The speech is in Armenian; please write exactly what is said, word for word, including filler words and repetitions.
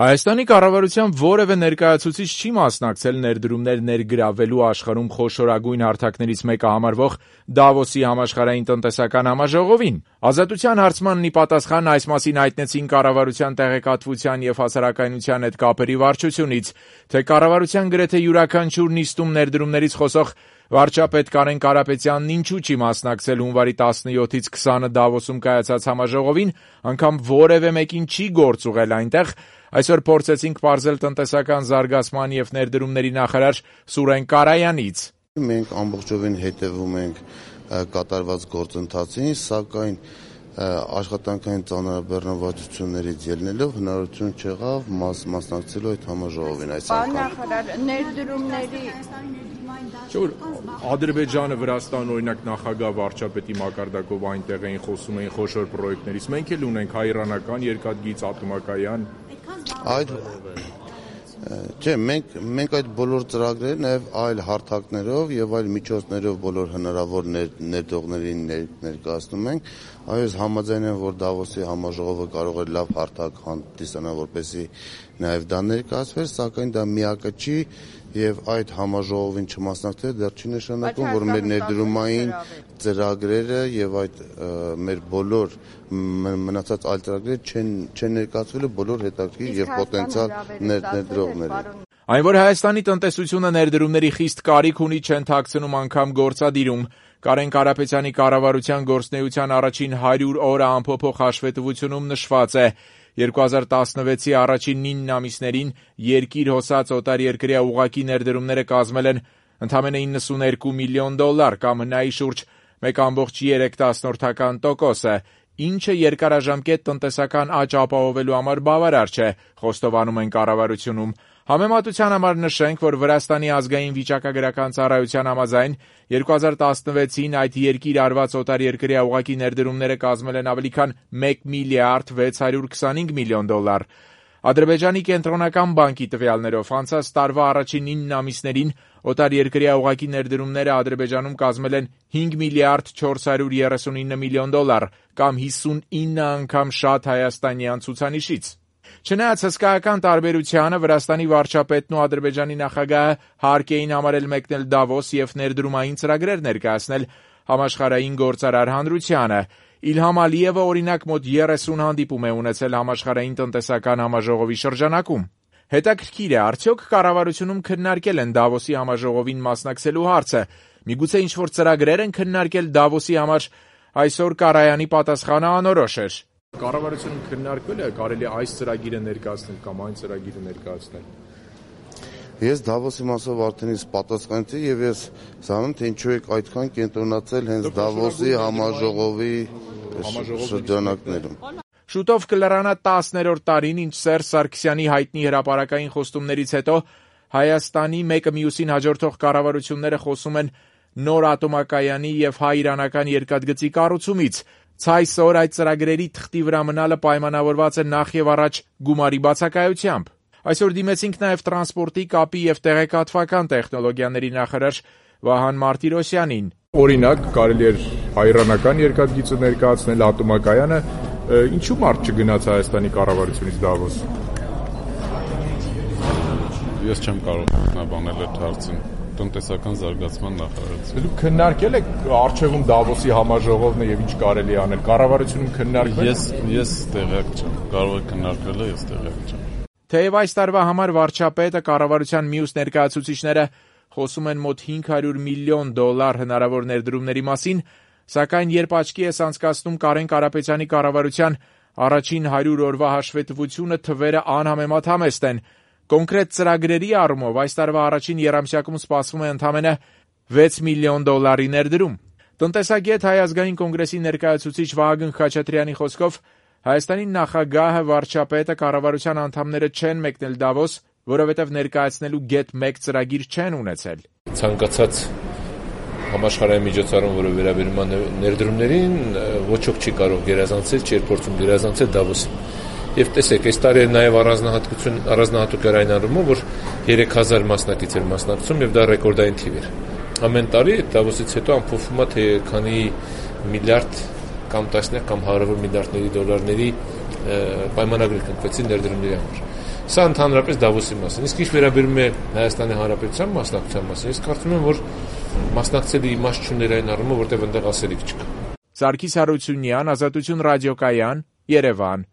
Հայաստանի կառավարության որևէ ներկայացուցիչ չի մասնակցել ներդրումներ ներգրավելու աշխարհում խոշորագույն հարթակներից մեկը համարվող Դավոսի համաշխարհային տնտեսական համաժողովին։ Ազատության հարցմանն ի պատասխան այս մասին հայտնեցին կառավարության տեղեկատվության և հասարակայնության հետ կապերի վարչությունից, թե կառավարության գրեթե յուրաքանչյուր նիստում ներդրումներից խոսող վարչապետ Կարեն Կարապետյանն ինչու չի մասնակցել հունվարի տասնյոթից քսանը Դավոսում կայացած համաժողովին, անգամ որևէ մեկին չի գործ ուղղել այնտեղ, այսօր փորձեցինք պարզել տնտեսական զարգացման և ներդրումների նախարար Սուրեն Կարայանից։ Մենք ամբողջովին հետևում ենք կատարված գործընթացին, սակայն աշխատանքային ծանրաբեռնվածություններից ելնելով հնարավորություն չեղավ մաս մասնակցելու այդ համաժողովին այս անգամ։ Պարոն նախարար, ներդրումների Չէ՞ Ադրբեջանը, Վրաստան, օրինակ նախագահ վարչապետի մակարդակով այնտեղ էին խոսում էին խոշոր պրոյեկտներից, մենք էլ ունենք հայ-իրանական երկաթգիծ ատոմակայան։ Այդ Չէ, մենք մենք այդ բոլոր ծրագրերը նաև այլ հարթակներով եւ այլ միջոցներով բոլոր հնարավոր ներդրողներին ներկայացնում ենք։ Այս համաձայն եմ, որ Դավոսի համաժողովը կարող է լավ հարթակ հանդիսանալ, որպեսզի նաև դա ներկայացվեր, սակայն դա միակը չի եւ այդ համաժողովին չմասնակցելը դեռ չի նշանակում, որ մեր ներդրումային ծրագրերը եւ այդ մեր բոլոր մնացած այլ ծրագրերը չեն չեն ներկայացվելու բոլոր հետաքրքիր եւ պոտենցիալ ներդրողներին։ Այն, որ Հայաստանի տնտեսությունը ներդրումների խիստ կարիք ունի, չեն թաքցնում անգամ գործադիրում։ Կարեն Կարապետյանի կառավարության գործունեության առաջին հարյուր օրը ամփոփող հաշվետվությունում նշված է. երկու հազար տասնվեցի առաջին ինը ամիսներին երկիր հոսած օտարերկրյա ուղղակի ներդրումները կազմել են ընդամենը իննսուներկու միլիոն դոլար կամ հնայի շուրջ մեկ կόμկոմ երեք տոկոսը, ինչը երկարաժամկետ տնտեսական աճ ապահովելու համար բավարար չէ, խոստովանում են կառավարությունում։ Համեմատության համար նշենք, որ Վրաստանի ազգային վիճակագրական ծառայության համաձայն երկու հազար տասնվեցին այդ երկիր արված օտարերկրյա ուղղակի ներդրումները կազմել են ավելի քան մեկ միլիարդ վեց հարյուր քսանհինգ միլիոն դոլար։ Ադրբեջանի կենտրոնական բանկի տվյալներով անցած տարվա առաջին ինը ամիսներին օտարերկրյա ուղղակի ներդրումները Ադրբեջանում կազմել են հինգ միլիարդ չորս հարյուր երեսունինը միլիոն դոլար կամ հիսունինը անգամ շատ հայաստանյան ցուցանիշից։ Չնայած հսկայական տարբերությանը Վրաստանի վարչապետն ու Ադրբեջանի նախագահը հարկ էին համարել մեկնել Դավոս և ներդրումային ծրագրեր ներկայացնել համաշխարհային գործարար հանրությանը։ Իլհամ Ալիևը օրինակ մոտ երեսուն հանդիպում է ունեցել համաշխարհային տնտեսական համաժողովի շրջանակում։ Հետաքրքիր է, արդյոք կառավարությունում քննարկել են Դավոսի համաժողովին մասնակցելու հարցը։ Միգուցե ինչ-որ ծրագրեր են քննարկել Դավոսի համար, այսօր Կարայանի պատասխանը անորոշ էր։ Կառավարությունում քննարկվել է կարելի այս ծրագիրը ներկայացնել կամ այն ծրագիրը ներկայացնել։ Ես Դավոսի մասով արդեն իսկ պատասխանեցի եւ ես զանում թե ինչու եք այդքան կենտրոնացել հենց Դավոսի համաժողովի շրջանակներում։ Շուտով կլրանա տասներորդ տարին, ինչ Սերժ Սարգսյանի հայտնի հրապարակային խոստումներից հետո Հայաստանի մեկը մյուսին հաջորդող կառավարությունները խոսում են նոր ատոմակայանի եւ հայ-իրանական երկաթգծի կառուցումից։ Ցայսօր այդ ծրագրերի թղթի վրա մնալը պայմանավորված է նախ եւ առաջ գումարի բացակայությամբ։ Այսօր դիմեցինք նաեւ տրանսպորտի, կապի եւ տեղեկատվական տեխնոլոգիաների նախարար Վահան Մարտիրոսյանին։ Օրինակ, կարելի էր հայ-իրանական երկաթգիծը ներկայացնել, ատոմակայանը, ինչու մարդ չգնաց Հայաստանի կառավարությունից Դավոս։ Ես չեմ կարող բանել այդ հարցին։ Տնտեսական զարգացման նախարարություն։ Դուք քննարկել եք արչեվում Դավոսի համաժողովն է եւ ինչ կարելի անել։ Կառավարությունում քննարկվել։ Ես ես տեղյակ չեմ։ Կարող է քննարկվել, ես տեղյակ չեմ։ Թեև այս տարվա համար վարչապետը կառավարության մյուս ներկայացուցիչները խոսում են մոտ հինգ հարյուր միլիոն դոլար հնարավոր ներդրումների մասին, սակայն երբ աչքի ես անցկացնում Կարեն Կարապետյանի կառավարության առաջին հարյուր օրվա հաշվետվությունը, թվերը անհամեմատ համեստ են։ Կոնկրետ ծրագրերի առումով այս տարվա առաջին եռամսյակում սպասվում է ընդամենը վեց միլիոն դոլարի ներդրում։ Տնտեսագետ Հայ ազգային կոնգրեսի ներկայացուցիչ Վահագն Խաչատրյանի խոսքով Հայաստանի նախագահը, վարչապետը, կառավարության անդամները չեն մեկնել Դավոս, որովհետև ներկայացնելու գեթ մեկ ծրագիր չեն ունեցել։ Ցանկացած համաշխարհային միջոցառում, որը վերաբերում է ներդրումներին, ոչ ոք չի կարող գերազանցել, չի փորձում գերազանցել Դավոսին։ Եվ տեսեք, այս տարի նաև առանձնահատկություն առանձնահատուկ էր այն առումով, որ երեք հազար մասնակից էր մասնակցում եւ դա ռեկորդային թիվ էր։ Ամեն տարի Դավոսից հետո ամփոփվում է թե քանի միլիարդ կամ տասնյակ կամ հարյուր միլիարդների դոլարների պայմանագրեր կնքվեցին ներդրումների համար։ Սա ընդհանրապես Դավոսի մասին։ Իսկ ինչ վերաբերում է Հայաստանի Հանրապետության մասնակցության մասին, ես կարծում եմ, որ մասնակցելի իմաստ չուներ այն առումով, որտեղ այնտեղ ասելիք չկա։ Սարգիս Հարությունյան, Ազատություն ռադիոկայան, Երևան։